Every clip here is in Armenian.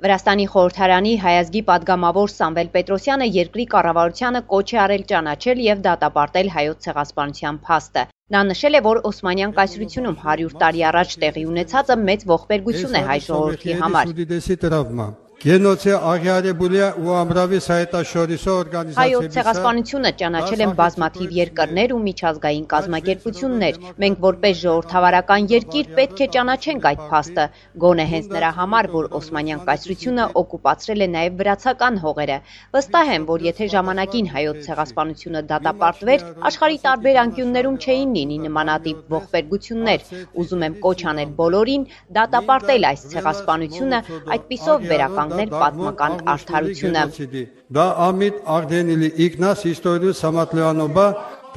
Վրաստանի խորհրդարանի հայազգի պատգամավոր Սամվել Պետրոսյանը երկրի կառավարությանը կոչ է արել ճանաչել եւ դատապարտել հայոց ցեղասպանության փաստը։ Նա նշել է, որ Օսմանյան կայսրությունում 100 տարի առաջ տեղի ունեցածը մեծ ողբերգություն է հայ ժողովրդի համար։ Հայոց ցեղասպանությունը ճանաչել են բազմաթիվ երկրներ ու միջազգային կազմակերպություններ։ Մենք որպես ժողովրդավարական երկիր պետք է ճանաչենք այդ փաստը, գոնե հենց նրա համար, որ Օսմանյան կայսրությունը օկուպացրել է նաև վրացական հողերը։ Վստահ եմ, որ եթե ժամանակին հայոց ցեղասպանությունը դատապարտվեր, աշխարհի տարբեր անկյուններում չէին լինի նմանատիպ ողբերգություններ։ Ուզում եմ կոչ անել բոլորին դատապարտել այս ցեղասպանությունը, այդպիսով վերականգնել պատմական արդարությունը։ Դա ամիտ արդենիլի իգնաս իստորիու սամատլեանոբա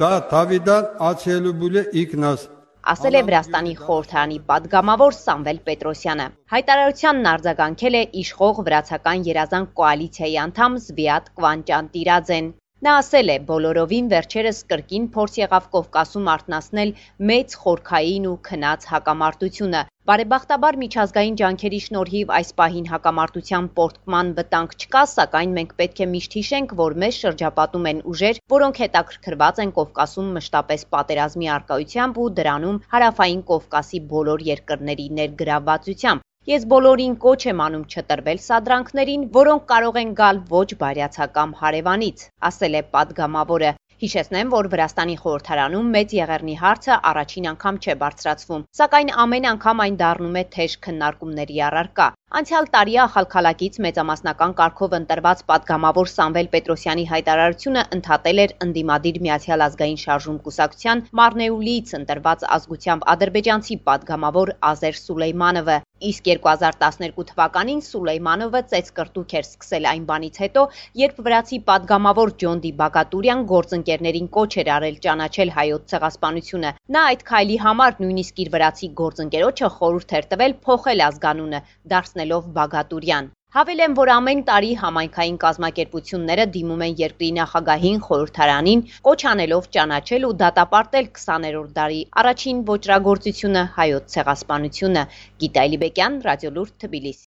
դա Դավիդան ացելուբուլե իգնաս ասել է Վրաստանի խորհրդարանի պատգամավոր Սամվել Պետրոսյանը։ Հայտարարությանն արձագանքել է իշխող վրացական երազանք կոալիցիայի անդամ Զվիատ Կվանճանտիրաձեն։ Նա ասել է, բոլորովին վերջերս կրկին փորձ եղավ Կովկասում արթնացնել մեծ խորքային ու քնած հակամարտությունը։ Բարեբախտաբար միջազգային ջանքերի շնորհիվ այս պահին հակամարտության պոռթկման վտանգ չկա, սակայն մենք պետք է միշտ հիշենք, որ մեզ շրջապատում են ուժեր, որոնք հետաքրքրված են Կովկասում մշտապես պատերազմի առկայությամբ ու դրանում Հարավային Կովկասի բոլոր երկրների ներգրավվածությամբ։ Ես բոլորին կոչ եմ անում չտրվել սադրանքներին, որոնք կարող են գալ ոչ բարյացակամ հարևանից, ասել է պատգամավորը։ Հիշեցնեմ, որ Վրաստանի խորհրդարանում մեծ եղեռնի հարցը առաջին անգամ չէ բարձրացվում, սակայն ամեն անգամ այն դառնում է թեժ քննարկումների առարկա։ Անցյալ տարի ախալքալակից մեծամասնական կարգով ընտրված պատգամավոր Սամվել Պետրոսյանի հայտարարությունը ընդհատել էր ընդդիմադիր Միացյալ ազգային շարժում կուսակցության Մարնեուլիից ընտրված ազգությամբ ադրբեջանցի պատգամավոր Ազեր Սուլեյմանովը։ Իսկ 2012 թվականին Սուլեյմանովը ծեծկրտուք էր սկսել այն բանից հետո, երբ վրացի պատգամավոր Ջոնդի Բագատուրյան գործընկերներին կոչ էր արել ճանաչել հայոց ցեղասպանությունը։ Նա այդ քայլի համար նույնիսկ իր վրացի գործընկերոջը խորհուրդ էր տվել փոխել ազգանունը, դարձնելով Բագատուրյան։ Հավելեմ, որ ամեն տարի համայնքային կազմակերպությունները դիմում են երկրի նախագահին, խորհրդարանին, կոչ անելով ճանաչել ու դատապարտել 20-րդ դարի առաջին ոճրագործությունը հայոց ցեղասպանությունը։ Գիտա Էլիբեկյան, Ռադիոլուրդ, Թբիլիսի։